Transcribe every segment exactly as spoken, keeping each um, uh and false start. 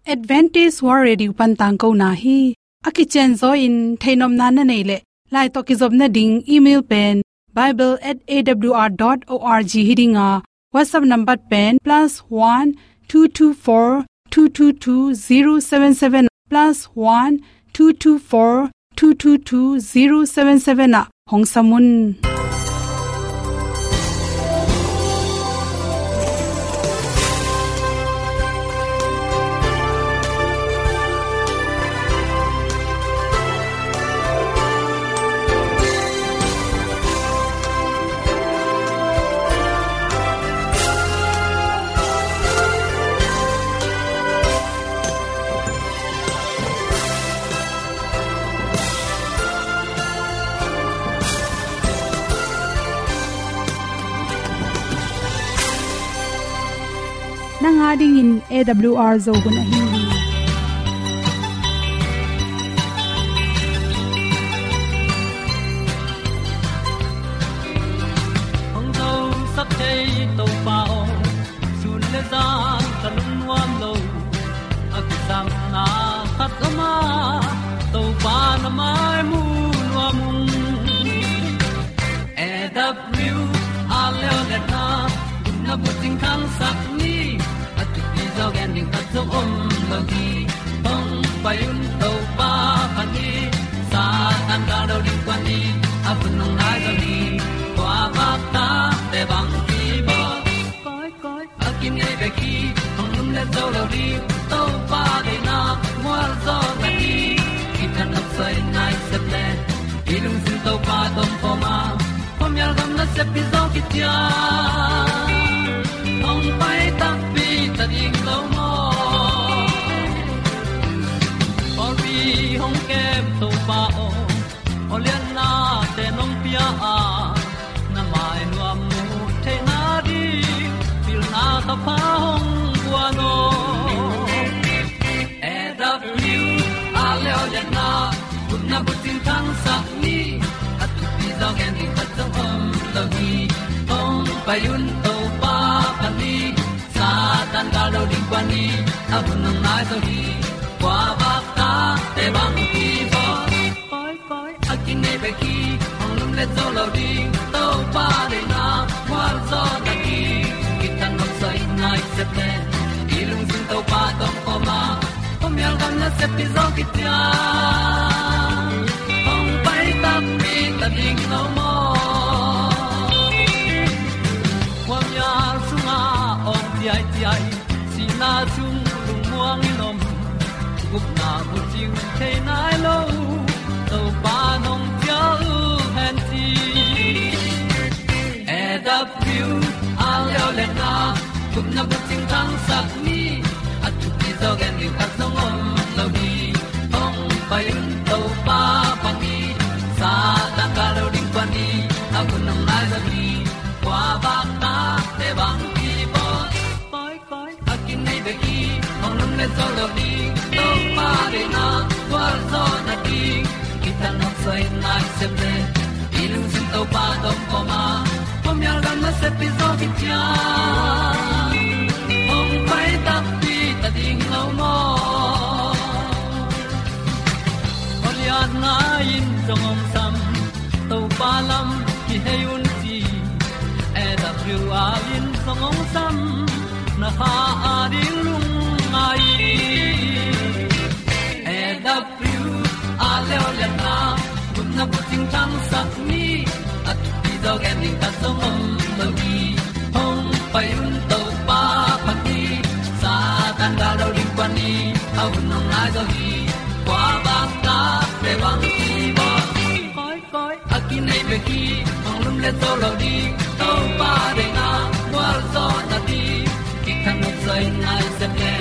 Adventist World Radio pan tangkona hi. A kicianzaw in theihnopna na neih leh, lai tawh kizopna ding email pen bible at A W R dot org hi ding a, WhatsApp number pen plus one two two four two two two zero seven seven, plus one two two four two two two zero seven seven ah hong sam un. Nang a dingin A W R Zo hun ahi hi. Hong zosak thei Topa aw, sun le zan ka lungnuam lo. A kisapna khat om a, Topa na mai mu nuam ung. A W R leo le na, na bucing khangsak ni, a thupi zaw gen ding khat zong om lo hi. Hong pai un Topa phat ni, Satan ka lo ding kua ni, a hun hong nai zo hi. Kua bak ta te bang ki bawl. Koi, koi, a kinei bek hi, hong lum le zo lo ding, Topa deihna mual zaw na hi. Kitang nok soi nai sep le, i lungsim Topa tawh om khawm a, khuamial gam nasep hi zaw kician. Hong pai takpi ta ding lo maw? Pawlpi hong kem Topa aw, aw lianna te nong pia a, na mai nuam mu theihna ding, pilna ka pha hong guan aw. A W R leo le na, gupna bucing khangsak ni, a thupi zaw gen ding khat zong om lo hi. Hong pai un Topa phat ni, Satan ka lo ding kua ni, a hun hong nai zo hi. Kua bak ta te bang ki bawl. Koi, koi, a kinei bek hi, hong lum le zo lo ding, Topa deihna mual zaw na hi. Kitang nok soi nai sep le, i lungsim Topa tawh om khawm a, khuamial gam nasep hi zaw kician. Hong pai takpi ta ding lo maw? Khuamial sungah awng ciaiciai, sihna sung lungmuang in om, gupna bucing thei nai lo, Topa nong cial hen ci. A W R leo le na, gupna bucing khangsak ni, a thupi zaw gen ding khat zong om lo hi. Hong pai un Topa phat ni, Satan ka lo ding kua ni, a hun hong nai zo hi. Kua bak ta te bang ki bawl. Koi, koi, a kinei bek hi, hong lum le zo lo ding, Topa deihna mual zaw na hi. Kitang nok soi nai sep le, i lungsim Topa tawh om khawm a, khuamial gam nasep hi zaw kician. Hong pai takpi ta ding lo maw? Aw lianna in zong hong sam, Topa lam kihei un ci. A W R in zong hong sam, na kha a ding lungngai. A W R leo le na, gupna bucing khangsak ni, a thupi zaw gen ding khat zong om lo hi. Hong pai un Topa phat ni, Satan ka lo ding kua ni, a hun hong nai zo hi. Kua bak ta te bang ki bawl. Koi, koi, a kinei bek hi, hong lum le zo lo ding, Topa deihna mual zaw na hi. Kitang nok soi nai sep le,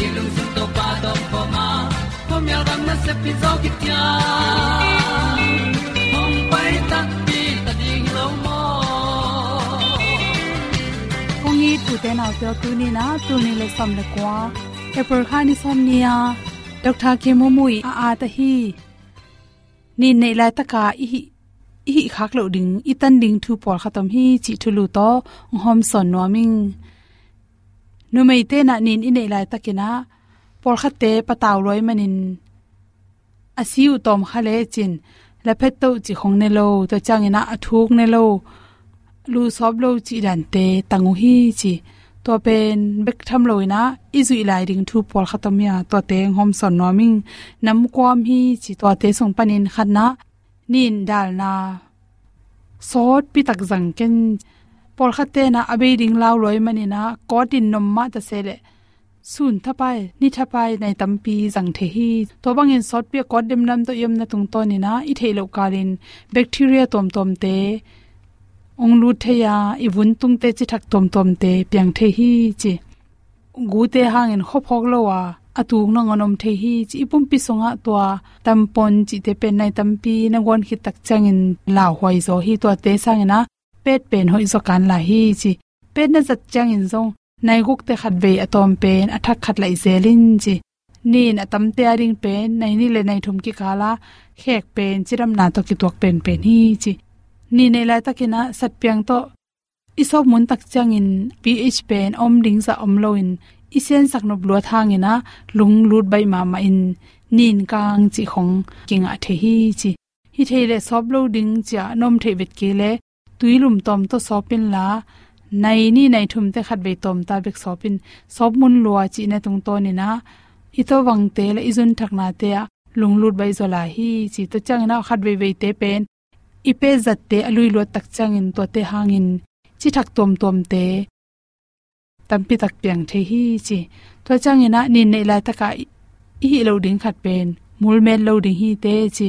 i lungsim Topa tawh om khawm a, khuamial gam nasep hi zaw kician. Hong pai takpi ta ding lo maw? Kong it u te nau te aw, tuni in ah, tul nih le sawm le kua, April kha ni sawm ni a, Doctor Kemo Mui a at ahi. Nin neih laitaka i hih, i hih khak loh ding, i tan ding thu pawlkhat om hi cih thulu tawh hong hawmsawn nuam ing. Numeite in ah nin i neih laitakin ah, Pawlkhatte patau luai manin a si uh tawm kha lecin la phet toh cih khong ne lo, tua ciangin ah a thuk ne lo, lu sawp lo cih dante tang uh hi ci. Tua pen bek tham loin ah i zuih lai ding thu pawlkhat om hi a, tuate hong hawmsawn nuam ing. Namkuam hi ci, tuate sung panin khatna nin dalna sawtpi tak zang ken. Pawlkhatte na a bei ding lau luai manin ah kawt in nom mah ta se leh sun thapai, ni thapai nai tampi zang thei hi. Tua bangin sawtpi a kawt demdam tawh i omna tungtawnin ah i theih loh kalin bacteria tuamtuamte hong lut thei a, i vun tungte cithak tuamtuamte piang thei hi ci. Gute hangin khuaphawk lo a, a tuk nangawn om thei hi ci. I pumpi sungah tua tampon cihte pen nai tampi na guan khit tak ciangin lauhuai zaw hi. Tuate sangin ah pet pen hoih zaw kan lai hi ci. Pet na zat ciangin zong nai gukte khatvei a tawm pen a thak khat laih zel in ci. Nin a tamte a ding pen nai nih le nai thum kikal a khek pen cidamna tawh kituak penpen hi ci. Nin neih laitakin ah satpiang tawh i sawp mun tak ciangin pH pen om ding zah om loin i siansak nop luat hangin ah lunglut baih mahmah in nin kang cih khong kingah thei hi ci. Hi thei leh sawp lo ding ci-a na om theih vet kei leh tui lum tawm tawh sawp inla, nai nih nai thumte khatvei tawm ta bek sawp in, sawp mun lua cihna tungtawnin ah i tawvangte le i zunthaknate ah lunglut baih zaw lai hi ci. Tua ciangin ah khat veiveite pen i pet zatte a lui luat tak ciangin tuate hangin cithak tuamtuamte tampi tak piang thei hi ci. Tua ciangin ah nin neih laitakah i, i hih loh ding khat pen mul met lo ding hi teh ci.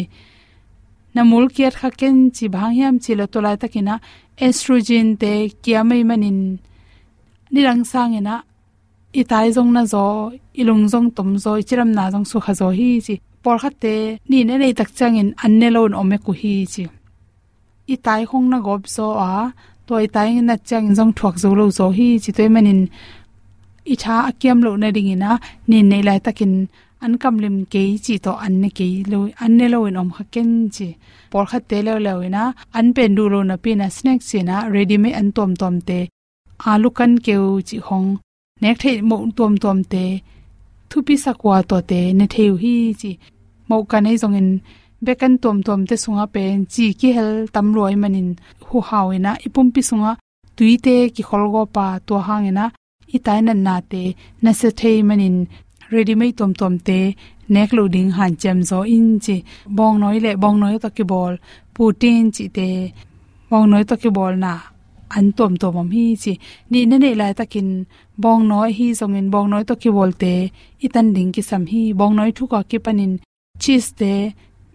Na mul kiat kha ken ci, bang hang hiam cih leh tua laitakin ah estrogen te kiam ahih manin nidang sangin ah i tai zong na zaw, i lung zong tom zaw, i cidamna zong sukha zaw hi ci. Pawlkhatte nin a neih tak ciangin an ne loin om ek uh hi ci. I tai khong na gawp zaw a, tua i tai nat ciangin zong thuak zo lo zaw hi ci. Tua ahih manin i tha a kiam loh nadingin ah nin neih laitakin an kamlim kei cih tawh an ne kei lo, an ne loin om kha ken ci. Pawlkhatte leuleu in ah an pen duh lo napi in ah snack ci-in ah ready made an tuamtuamte, alu kan keu cih khong, nek theih moh tuamtuamte thupisak uh a tuate ne thei uh hi ci. Moh kan ahi zongin bek an tuamtuamte sungah pen ci kihel tam lua ahih manin huhau in ah i pumpi sungah tuite kikhol gawp a, tua hangin ah i tai natnate nasia thei manin ready made tuamtuamte nek loh ding hanciam zaw in ci. Bawngnawi le bawngnawi tawh kibawl, putin cihte, bawngnawi tawh kibawlna an tuamtuam om hi ci. Nin a neih laitakin bawngnawi ahi zongin bawngnawi tawh kibawlte i tan ding kisam hi. Bawngnawi thuk a kipanin cheese te,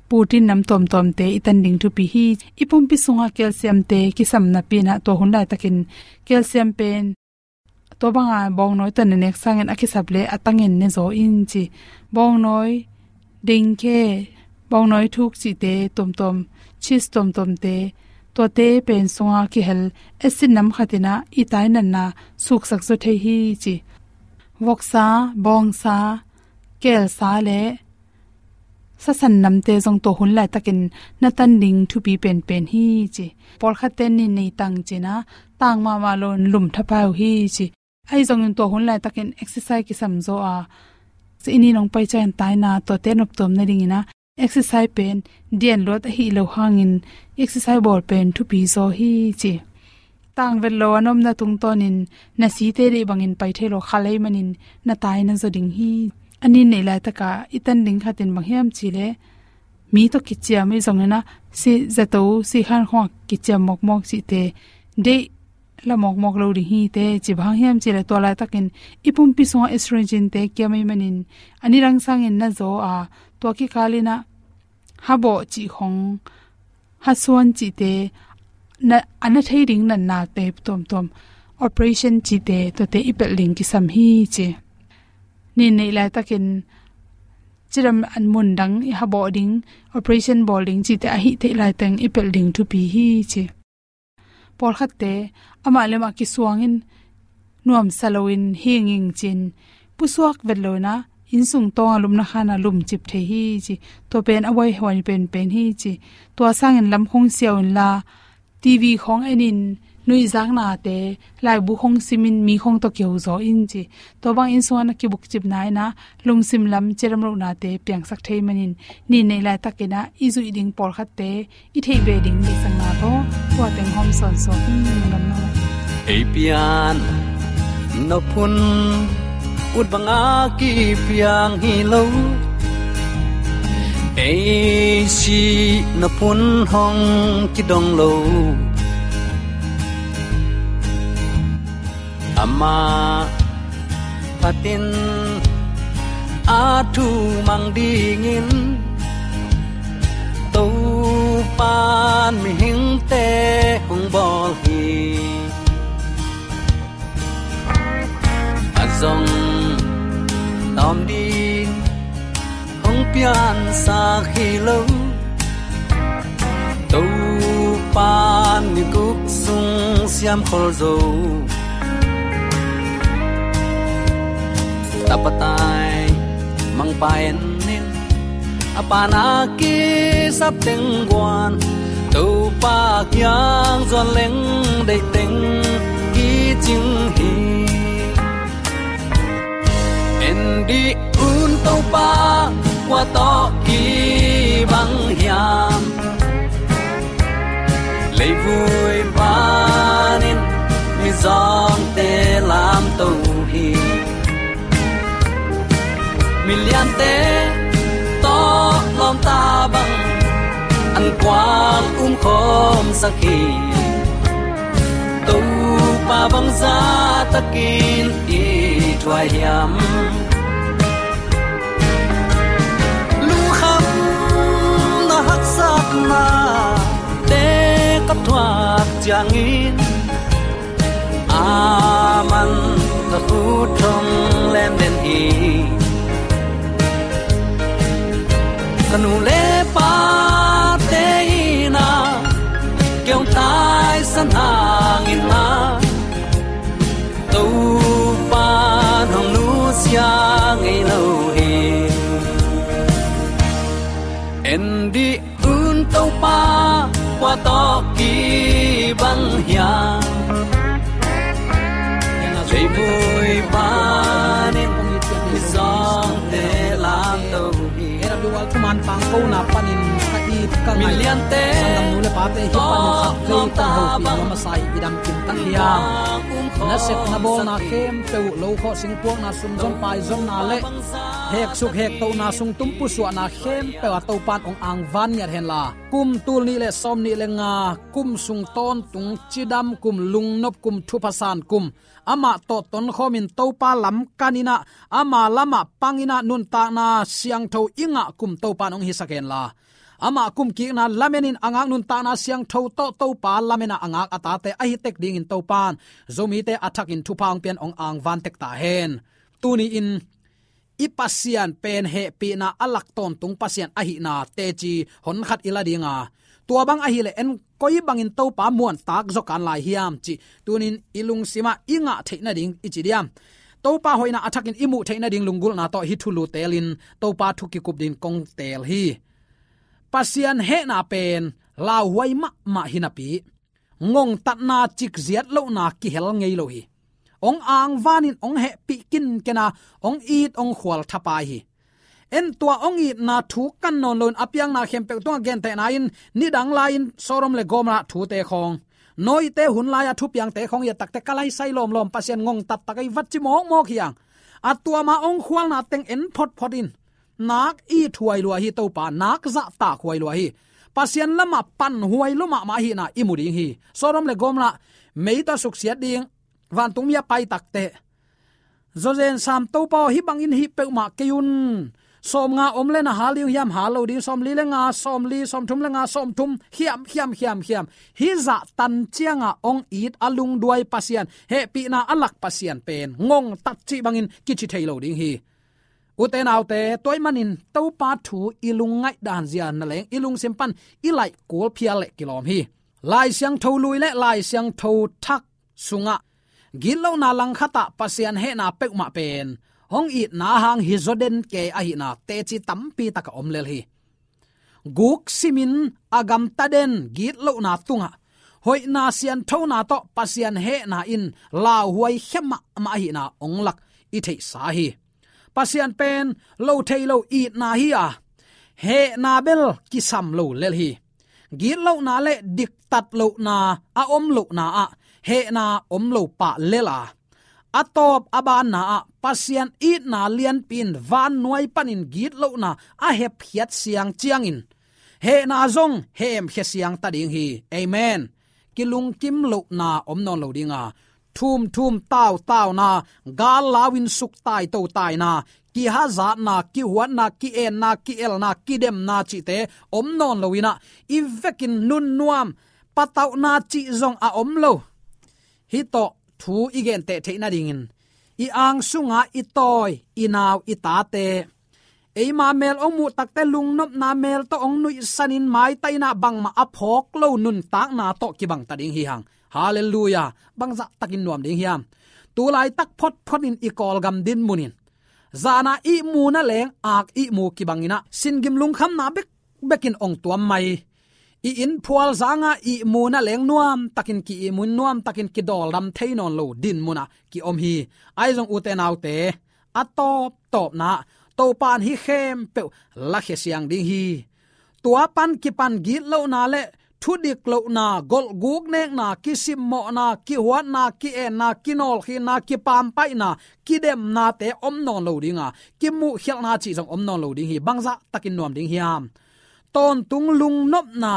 putin nam tuamtuamte i tan ding thupi hi. I pumpi sungah calcium te kisam napi in ah tua hun laitakin calcium pen tua banga bawngnawi tawh na nek sangin a kisap leh a tangin ne zaw in ci. Bawngnawi, dengke, bawngnawi thuk cihte tuamtuam, cheese tuamtuamte, tuate pen sunga kihel acid nam khat in ah i tai natna suksak zaw thei hi ci. Voksa, bawngsa, kelsa le sasan namte zong tua hun laitakin na tan ding thupi penpen hi ci. Pawlkhatte nin nei tang ci-in ah tang mahmah loin lum thapai uh hi ci. Ahi zongin tua hun laitakin exercise kisam zaw a, ci, i nin hong pai ciangin taina tuate noptuam nadingin ah exercise pen dian luat ahi loh hangin exercise bawl pen thupi zaw hi ci. Tang vet lo a na omna tungtawnin na site deih bangin pai thei lo kha lei manin na tai na zaw ding hi. A nin neih laitakah i tan ding khatin bang hiam cih leh mi tawh kiciam ahi zongin ah si zato, si khan khawngah kiciam mawkmawk cihte deih la mawkmawk lo ding hi teh ci. Bang hang hiam cih leh tua laitakin i pumpi sungah estrogen te kiam ahih manin a nidang sangin na zaw a, tua kikalin ah habawh cih khong, hasuan cihte, na, a na thei ding natnate tuamtuam, operation cihte, tuate i pelh ding kisam hi ci. Nin neih laitakin cidam an mun dang i habawh ding, operation bawl ding cihte a hih theih laiteng i pelh ding thupi hi ci. Pawlkhatte amah le amah kisuangin nuamsa loin hinging ci-in pusuak vet loin ah innsung tawng a lupna khan ah lumcip thei hi ci. Tua pen a buaihuai penpen hi ci. Tua sangin lam khong siau inla, TV khong enin, Nuihzaknate, laibu hong simin mi hong tawh kiho zaw in ci. Tua bang inn sungah na kibukcipna in ah lungsim lam cidam lohnate piangsak thei manin, nin neih laitak in ah i zuih ding pawlkhatte i theih ve ding deihsakna tawh tua teng hawm sawnsawn in lungdam nuam. Ei pian nop hun ut banga kipiang hi lo. Ei sih nop hun hong kidong lo. Amah phatin a thu mang dingin Topan mihingte hong bawl hi. A zong tawm ding hong piansak hi lo. Topan ni guk sung siam khol zo. Tapa tai mangpa en in, a pana kisap teng guan, Topa kiang zuan leng deih teng kicing hi. En dih un Topa, kua tawh kibang hiam? Leivui panin mizawngte lamto hi. Miliante tawh lawmta bang an kuang umkhawmsak hi. Topa bang zahtakin i thuai hiam? Lungkhamna haksatnate ka thuak ciangin, aman ka khut thong lem den hi. Ka nu le pate in ah kei hong taisan hangin ah, Topa hong nusia ngei lo hi. En dih un Topa, kua tawh kibang hiam? Leivui panin mizawngte lamto hi. A W R Thuman Pangkona panin ka it ka ngai, sanggam nu le pate hi panin khatvei kong hopih nuam a sa hi. I dam kim tak hiam? Na sep na bawlna khempeuh, lo khawh singpuakna, sumzon paizonna le heksuk hektohna, sungtum pusuahna khempeuh ah Topan hong angvan ngiat henla, kum tul nih le sawm nih le nga kum sung tawntung cidam kum, lungnop kum, thupha san kum, amah tawh tonkhawmin Topa lam kan in ah, ama lamah pang in ah, nuntakna siangtho i ngah kum Topan hong hisak henla, amah kumkikna lamenin a ngak nuntakna siangtho tawh Topa lamenah a ngak a tate ahi tek dingin Topan Zomite a thakin thupha hong pian hong angvan tek ta hen. Tuni-in i Pasian pen hehpihna a lak tawntung Pasian ahihna teci honkhat i la ding a, tua bang ahih leh en koi bangin Topa muantak zaw kan lai hiam cih tuni-in i lungsimah i ngah theih nading i ci diam? Topa hoihna a thakin i muh theih nading lunggulhna tawh hih thulu teelin Topa thu kikup dingin kong teel hi. Pasian hehna pen lauhuai mahmah hi napi, ngongtatna, cikziat lohna kihel ngei lo hi. Hong angvanin hong hehpih kinken a, hong it hong khual thapai hi. En tua hong itna thu kan nawn loin a piakna khempeuh tungah gentehna-in nidang lai-in Sodom le Gomorrah thute khawng, Noah-te hun lai-a thupiangte khawng i et tak teh ka laisai lawmlawm, Pasian ngongtat tak ahi vat ci mawkmawk hi hang. A tua ma hong khualna teng en photphot in. Nak it huai lua hi Topa, nak zahtak huai lua hi. Pasian lamah pan huai lua mahmah ahihna i mu ding hi. Sodom le Gomorrah mei tawh suksiat ding, vantung mi a pai tak teh, zawzen sam Topa aw, hih bangin hih peuhmah kei un. Sawmnga om le na hal ding hiam? Hal lo ding. Sawmli le nga, sawmli, sawmthum le nga, sawmthum, khiam, khiam, khiam, khiam. Hih zah tan ciangah hong it a lungduai Pasian, hehpihna a lak Pasian pen ngongtat cih bangin kici thei lo ding hi. Ute naute, tua ahih manin Topa thu i lungngaih dan zia na leng i lungsim pan i laih kul phial leh kilawm hi. Lai Siangtho Lui le Lai Siangtho Thak sungah gitlohna langkhatah Pasian hehna peuhmah pen hong itna hang hi zaw den kei ahihna teci tampi tak a om lel hi. Guk simin a gamta den gitlohna tungah hoihna sianthona tawh Pasian hehna in lauhuai khia mahmah ahihna hong lak i theihsa hi. Pasian pen lo thei lo itna hi a, hehna bel kisam lo lel hi. Gitlohna le diktat lohna a om lohna ah hehna om lo pah lel a, a tawp a banna ah Pasian itna lianpi in vannuai panin gitlohna a hepkhiat siang ciangin hehna zong hemkhia siang ta ding hi. Amen. Kilungkim lohna om nawn lo ding a, thumthum tautauna, gal lau in suk taito taina, kihazatna, kihuatna, ki-enna, ki-elna, kidemna cihte om nawn lo in ah, i vekin nunnuam, patauhna cih zong a om lo. Hih tawh thu i genteh theih nadingin i ang sunga i tawi, i nau, i tate, eima mel hong muh takte lungnopna mel tawh hong nuihsanin maitaina bangmah a phawk lo nuntakna tawh kibang ta ding hi hang. Halleluiah. Bangzah takin nuam ding hiam? Tulaitak photphot in i Kawlgam dinmun in zana ihmu na leng ak ihmu kibang in ah, singgim lungkhamna bekbek in hong tuam mai. I inn phual zanga ihmu na leng nuam takin ki-ihmu in, nuam takin kidawldam thei nawn lo dinmun ah ki-om hi. Ahi zong ute naute, a tawptawpna ah Topa in hih khempeuh lakhia siang ding hi. Tua pan kipan gitlohna le thudik lohna, golhguk nekna, kisimmawhna, kihuatna, ki-enna, kinawlkhinna, kipampaihna, kidemnate om nawn lo ding a, kimuhkhialhna cih zong om nawn lo ding hi. Bangzah takin nuam ding hiam? Tawntung lungnopna,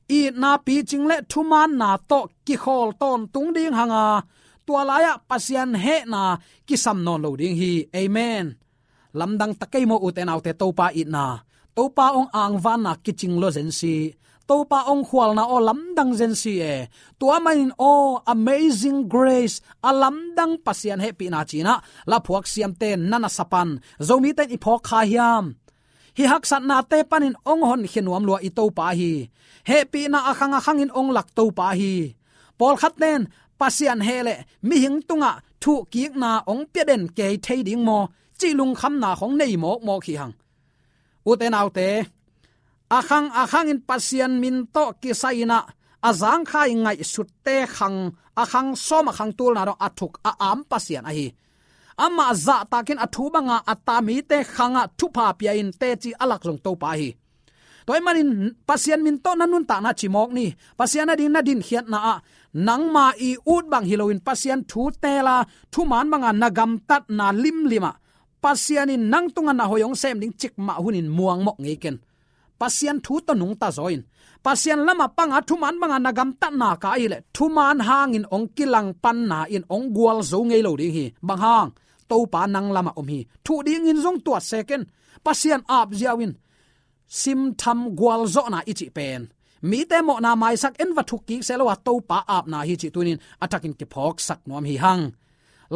itna, picing le thumaanna tawh kikhawl tawntung ding hang a, tua lai-ah Pasian hehna kisam nawn lo ding hi. Amen. Lamdang ta kei maw ute naute, Topa itna, Topa hong angvanna kicing lua zen si, Topa hong khualna aw lamdang zen si e. Tua manin aw, amazing grace, a lamdang Pasian hehpihna ci-in ah laphuak siamte na nasa pan Zomite in i phawk kha hiam? Hih haksatnate panin hong honkhia nuam lua i Topa hi. Hehpihna a khang a khangin hong lak Topa hi. Pawlkhatte in Pasian heh le mihing tungah thuhkikna hong pia den kei thei ding maw, cih lungkhamna khong nei mawkmawk hi hang. Ute naute, a khang a khangin Pasian min tawh kisai in ah a zangkhai ngaihsutte khang, a khang sawm a khang tulna dong a thuk a am Pasian ahi. Amah zahtakin a thu banga a ta mite khangah thupha pia-in teci a lak zong Topa ahi. Tua ahih manin Pasian min tawh na nuntakna ci mawk ni. Pasian ading na dinkhiatna ah nangma i ut bang hi loin Pasian thu teel a, thumaan banga na gamtatna limlim ah Pasian in nang tungah na hoih hong sem ding cikmah hunin muangmawh ngei ken. Pasian thu tawh nungta zaw in, Pasian lamah panga thumaan banga na gamtatna ka ahih leh thumaan hangin hong kilangpanna in hong gualzo ngei lo ding hi. Bang hang? Topa nang lamah om hi. Thuh dingin zong tuat se ken. Pasian ap ziau in, simtham gualzawhna i cih pen mite mawhna maisak en va thukkik se lo a, Topa apna hi cih tunin a thakin kiphawksak nuam hi hang.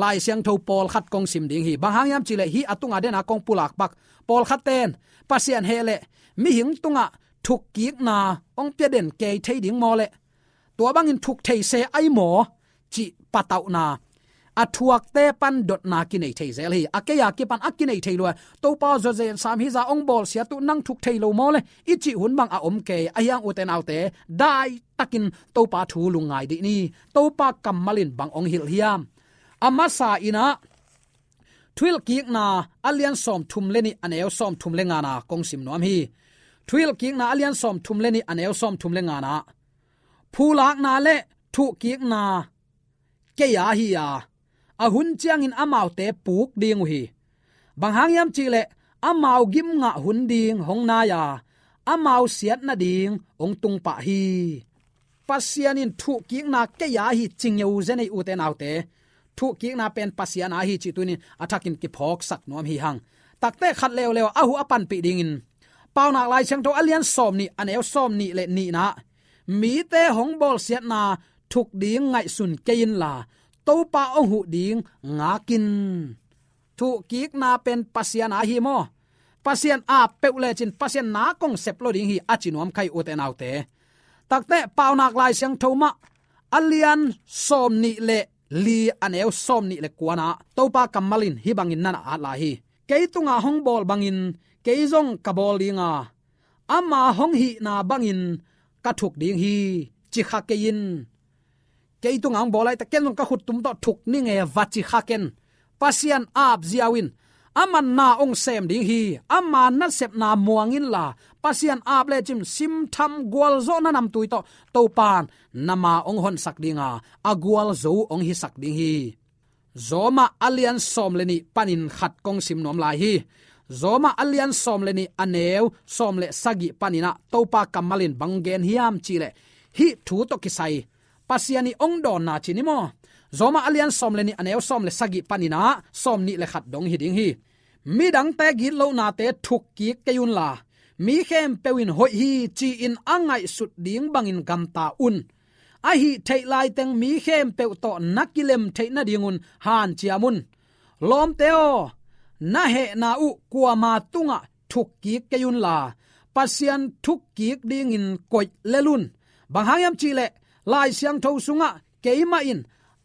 Lai Siangtho pawlkhat kong sim ding hi. Bang hang hiam cih leh hih a tunga dena kong pulak pak. Pawlkhatte in Pasian heh le mihing tungah thukkikna hong pia den kei thei ding maw le, tua bangin thuk thei se ai maw, cih patauhna, a thuakte pan dotna kinei thei zel hi. A kei a kipan a kinei thei lua. Topa zawzen sam hi za, hong bawlsiat uh nang thuk thei lo maw le, i cih hun bang a om kei. Ahi hang ute naute, dai takin Topa thu lungngai dih ni. Topa kammal in bang hong hilh hiam? A masa in ah Thuhilhkikna a lian sawmthum le nih a neu sawmthum le ngana kong sim nuam hi. Thuhilhkikna a lian sawmthum le nih a neu sawmthum le ngana, phulakna le thuhkikna kei a hi a, a hun ciangin amaute puk ding uh hi. Bang hang hiam cih leh amau gimngah hun ding hong nai a, amau siat nading hong tung pah hi. Pasian in thuhkikna kei a hi ci ngeu zen ei ute naute. Thuhkikna pen Pasian a hi cih tunin a thakin kiphawksak nuam hi hang. Takte khat leuleu a huh a panpih dingin Paunak Lai Siangtho a lian sawmnih a neu sawmnih le nihna, mite hong bawlsiatna thuk ding ngaihsun kei inla, Topa hong huh ding ngak in. Thuhkikna pen Pasian a hi maw? Pasian a peuh lecin Pasian na kong sep lo ding hi a ci nuam khai ute naute. Takte Paunak Lai Siangtho mah a lian sawmnih le li a neu sawmnih le kuana Topa kammal in hih bangin na na at lai hi. Kei tunga hong bawl bangin kei zong ka bawl dinga, ama hong hihna bangin ka thuk ding hi, ci kha kei in. kei tungah hong bawl lai teh, ken zong ka khut tum tawh thuk ning e, va ci kha ken. Pasian aap ziau in, aman na hong sem ding hi. Ama nasepna muang inla, Pasian aap lecin simtham gualzawhna namtui tawh Topa'n na ma hong honsak ding a, a gualzo hong hisak ding hi. Roma a lian sawm le nih panin khat kong sim nuam lai hi. Roma a lian sawm le nih, a neu sawm le sagih panin ah Topa kammal in bang gen hiam cih leh, hih thu tawh kisai Pasian ii hong dawnna ci ni maw? Roma a lian sawm le nih, a neu sawm le sagih panin ah sawm nih le khat dong hi ding hi. Midangte gitlohnate thukkik kei unla, mi khempeuh in hoih hi ci-in a ngaihsut ding bangin gamta un. A hih theih laiteng mi khempeuh tawh na kilem theih nadingun hanciam un. Lawmte aw, na hehna uh kuama tungah thukkik kei unla, Pasian thukkik dingin koih lel un. Bang hang hiam cih leh, Lai Siangtho sungah, keimah in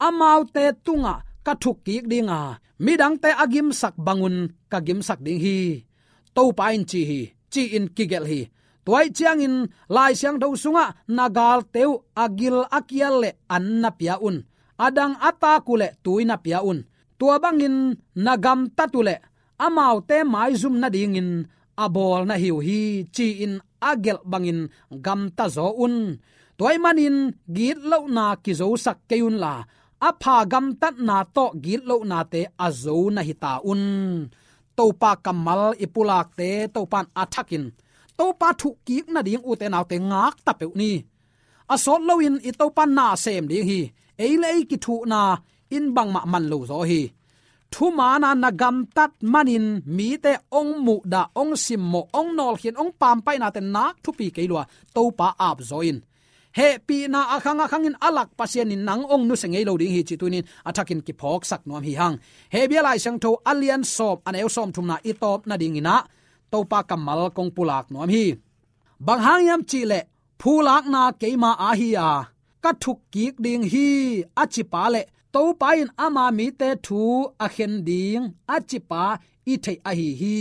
amaute tungah ka thukkik ding a, midangte a gimsak bangun ka gimsak ding hi, Topa in ci hi, ci-in kigelh hi. Tua ahih ciangin Lai Siangtho sungah, na galte uh a gil a kial leh an na pia un. A dang a tak uh leh tui na pia un. Tua bangin na gamtat uh leh amaute maizum nadingin a bawl na hi uh hi, ci-in a gelh bangin gamta zaw un. Tua ahih manin gitlohna kizosak kei unla, a pha gamtatna tawh gitlohnate a zo na hi ta un. Topa kammal i pulakte Topa'n a thakin, Topa thukkik nading, ute naute, ngakta peuh ni. A sawt loin i Topa na sem ding hi. Ei le ei kithuhna in bangmah man lo zaw hi. Thumaana na gamtat manin mite hong muhdah, hong simmawh, hong nawlkhin, hong pampaihnate nak thupi kei lua, Topa aap zaw in. Hehpihna a khang a khangin a lak Pasian in nang hong nusia ngei lo ding hi cih tuni-in a thakin kiphawksak nuam hi hang. Hebru Lai Siangtho a lian sawm, a neu sawmthumna i tawp nadingin ah Topa kammal kong pulak nuam hi. Bang hang hiam cih leh, phulakna keima aa hi a, ka thukkik ding hi, a cipa leh Topa in ama mite thu a khen ding, a cipa i theih ahi hi.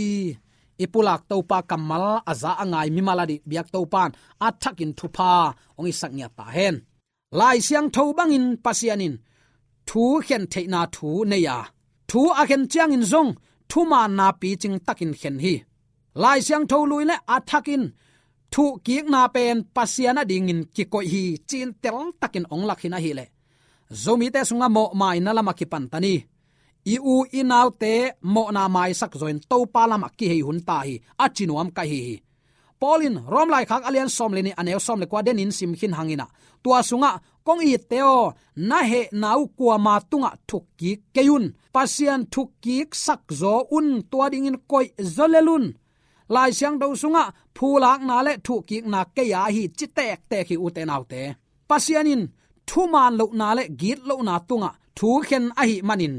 I pulak Topa kammal a za a ngai mimal ading biak Topa'n a thakin thupha hong hisak ngiat ta hen. Lai Siangtho bangin Pasian in thu khen theihna thu nei a, thu a khen ciangin zong thumaanna picing takin khen hi. Lai Siangtho lui leh a thakin thukkikna pen Pasian adingin kikoih hi, ci-in teltakin hong lak khin ahih leh, Zomite sungah mawhmaina lamah kipan ta ni. I u i naute mawhna maisak zawin Topa lamah kihei hun ta hi, a ci nuam ka hi hi. Paul in Rom laikhak a lian sawm le nih, a neu sawm le kua denin sim khin hangin ah, tua sungah, kong itte aw, na hehna uh kuama tungah thukkik kei un. Pasian thukkiksak zaw un, tua dingin koih zaw lel un. Lai Siangtho sungah phulakna leh thukkikna kei aa hi, ci tektek hi, ute naute. Pasian in thumaan lohna leh gitlohna tungah thu khen ahih manin,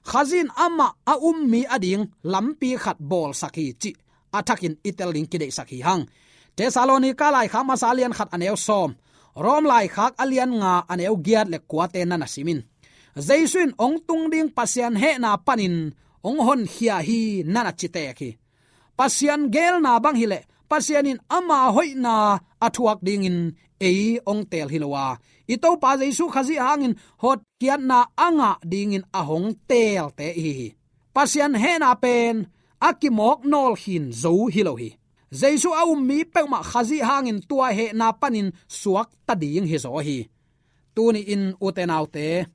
Khazih in amah a um mi ading lampi khat bawlsak hi, cih a thakin i tel ding kideihsak hi hang. Thessalonika laikhak masa a lian khat, a neu sawm, Rom laikhak a lian nga, a neu giat le kuate na na sim in. Jesu in hong tung ding Pasian hehna panin hong honkhia hi, na na ci tek hi. Pasian geelna bang hi leh, Pasian in ama hoihna a thuak dingin ei hong teel hi lo a, i Topa Jesu Khazih hangin hotkhiatna a ngah dingin a hong teelte i hi hi. Pasian hehna pen a kimawk nawlkhin zo hi lo hi. Jesu a um mi peuhmah Khazih hangin tua hehna panin suakta ding hi zaw hi. Tuni-in, ute naute,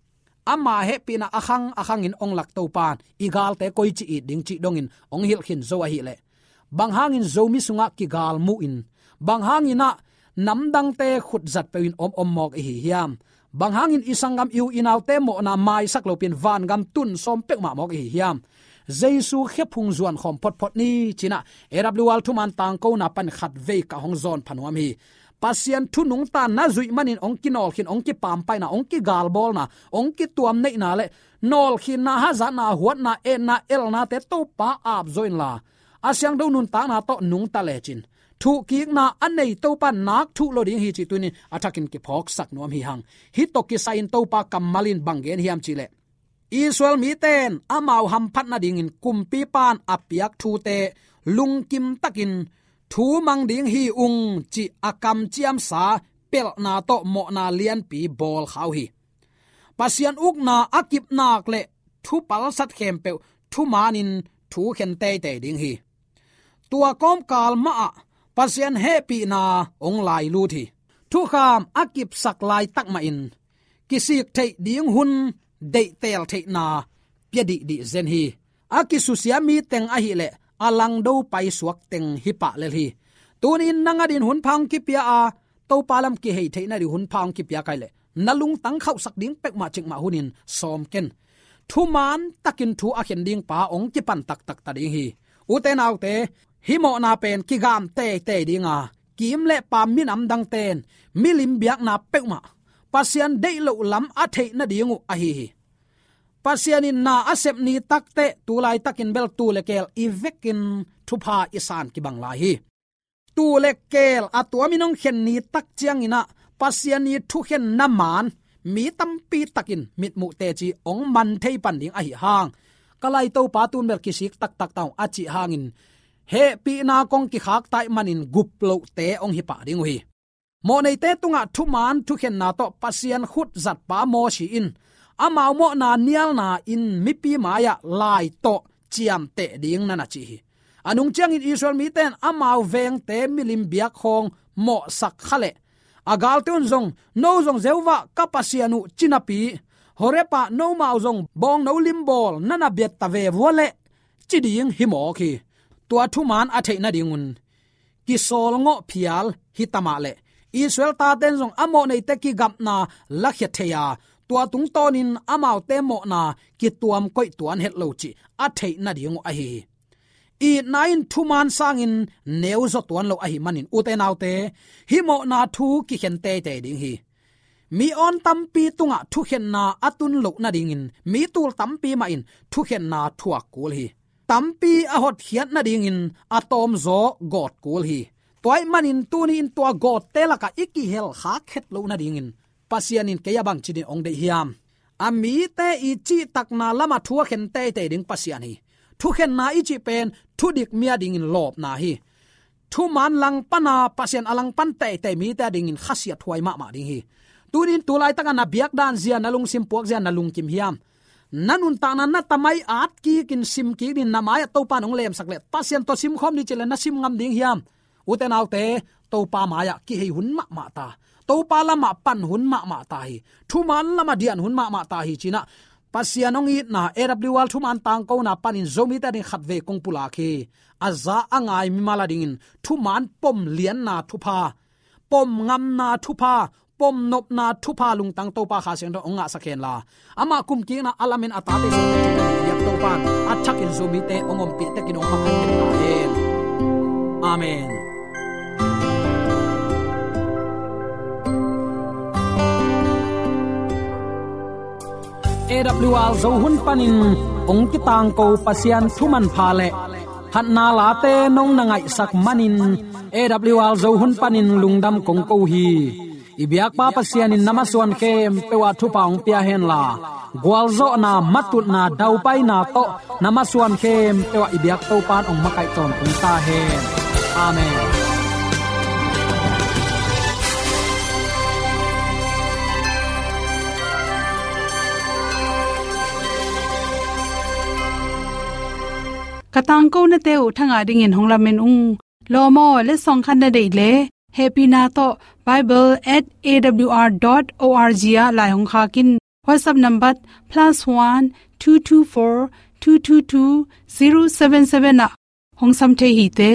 ama hehpihna a khang a khangin hong lak Topa'n i galte koici it ding cih dongin hong hilh khin zo ahih leh, bang hangin Zomi sungah kigal muhin, bang hangin ah namdangte khutzat peuhin om om mawk i hi hiam? Bang hangin i sanggam, i u i naute mawhna maisak lopi-in vangam tun sawm peuhmah mawk i hi hiam? Jesu khephung zuan khawm photphot ni, ci-in ah A W R thuman tangkona pan khatvei ka hong zawn pha nuam hi. Pasian thu nungta na zuih manin hong kinawlkhin, hong kipampaina, hong kigalbawlna, hong kituamneihna leh nawlkhinna, hazatna, huatna, etna, elnate Topa aap zaw inla, a siangtho nuntakna tawh nungta lecin, thukkikna a nei Topa nak thuh lo ding hi, cih tuni-in a thakin kiphawksak nuam hi hang. Hih tawh kisai-in Topa kammal in bang gen hiam cih leh, Israel mite in amau hamphat nadingin kumpipa'n a piak thute lungkim takin thu mang ding hi ung, cih a kamciamsa pelhna tawh mawhna lianpi bawl kha uh hi. Pasian ukna a kipnak le thupalsat khempeuh thumanin thukhen teitei ding hi. Tua kawmkal mahah Pasian hehpihna hong lailut hi. Thukham a kipsak laitak mahin kisik theih ding hun deihtel theihna pia dihdih zen hi. A kisusia mi teng ahileh a langdo paisuak teng hi pah lel hi. Tuni-in nang adingin hun pha hong kipia a, Topa lam kihei theihna ding hun pha hong kipia kei leh na lungtang khauhsak ding peuhmah cikmah hunin sawm ken. Thuman takin thu a khen ding pa hong kipan taktak ta ding hi. Ute naute, hih mawhna pen kigam teitei ding a, kiim le paam minam dangten milim biakna peuhmah Pasian deih loh lam a theih nading uh ahi hi. Pasian in na a sep ni takteh tu laitakin bel tuu le keel i vekin thupha i san kibang lai hi. Tuu le keel a tuamin hong khen ni tak ciangin ah Pasian i thukhenna maan mi tampi takin mitmuh teci hong man thei pan ding ahi hang, ka lai Topa, tun bel kisik taktak ta ung a cih hangin hehpihna kong kikhakta ahih manin gup lohte hong hi pah ding uh hi. Mawhneite tungah thuman thukhenna tawh Pasian khut zatpa Mosi in amau mawhna nialna in mipi mai-ah lai tawh ciamteh ding na na ci hi. A nung ciangin Israel mite in amau vengte milim biak khawng mawhsak kha leh a galte un zong, no zong Jehovah ka Pasian uh ci napi, Horeb ah nomau zong bawngno limbawl na na biat ta ve vua leh ci ding hi mawk hi. Tua thuman a theih nadingun kisawlngawh phial hi ta mah leh Israel taten zong a mawhneite kigapna lakhia thei a, tua tungtawnin amaute mawhna kituam koih tuan het lo cih a theih nading uh ahi hi. Itna in thuman sangin neuzaw tuan lo ahih manin ute naute, hih mawhna thu kikhen teitei ding hi. Mi awn tampi tungah thukhenna a tun loh nadingin mi tul tampi mah in thukhenna thuak kul hi. Tampi a hotkhiat nadingin a tawmzaw gawt kul hi. Tua ahih manin tuni-in tua gawtte lakah i kihel khak het loh nadingin Pasian in kei a bangci dingin hong deih hiam? A mite i cihtakna lamah thu a khen teitei ding Pasian hi. Thukhenna i cih pen thudik mi a dingin lawpna hi. Thuman langpana Pasian a langpan teitei mite a dingin khasiathuai mahmah ding hi. Tuni-in tu laitaka na biakdan zia, na lungsim puak zia na lungkim hiam? Na nuntakna na tamai at kikin sim kik dingin na mai-ah Topa in hong lemsak leh Pasian tawh simkhawm ni cih leh na sim ngam ding hiam? Ute naute, Topa mai-ah kihei hun mahmah ta, Topa lamah pan hun mahmah ta hi. Thuman lamah dian hun mahmah ta hi ci-in ah Pasian hong itna A W R thuman tangkona panin Zomite a ding khatvei kong pulak hi. A za a ngai mimal a dingin thuman pom lianna thupha, pom ngamna thupha, pom nopna thupha lungtang Topa Kha Siangtho hong ngahsak hen la, amah kumkikna a lamen a tate Zomite biak Topa in a thakin Zomite hong ompih tekin hong makaih hen. Amen. A W R Zo hun panin hong kitangko Pasian thu manpha le phatna late nong na ngaihsak manin A W R Zo hun panin lungdam kong ko hi. I biakpa Pasian in na masuan khempeuh ah thupha hong pia hen la, gualzawhna, matutna, daupaina tawh na masuan khempeuh ah i biak Topa in hong makaih tawntung ta hen. Amen. Ka tangkonate uh thangah dingin hong lamen ung. Lawm aw, letsong khat na deih leh hehpihna tawh bible at A W R dot O R G ah lai hong khak in. WhatsApp number plus one two two four two two two zero seven seven ah hong sam thei hi te.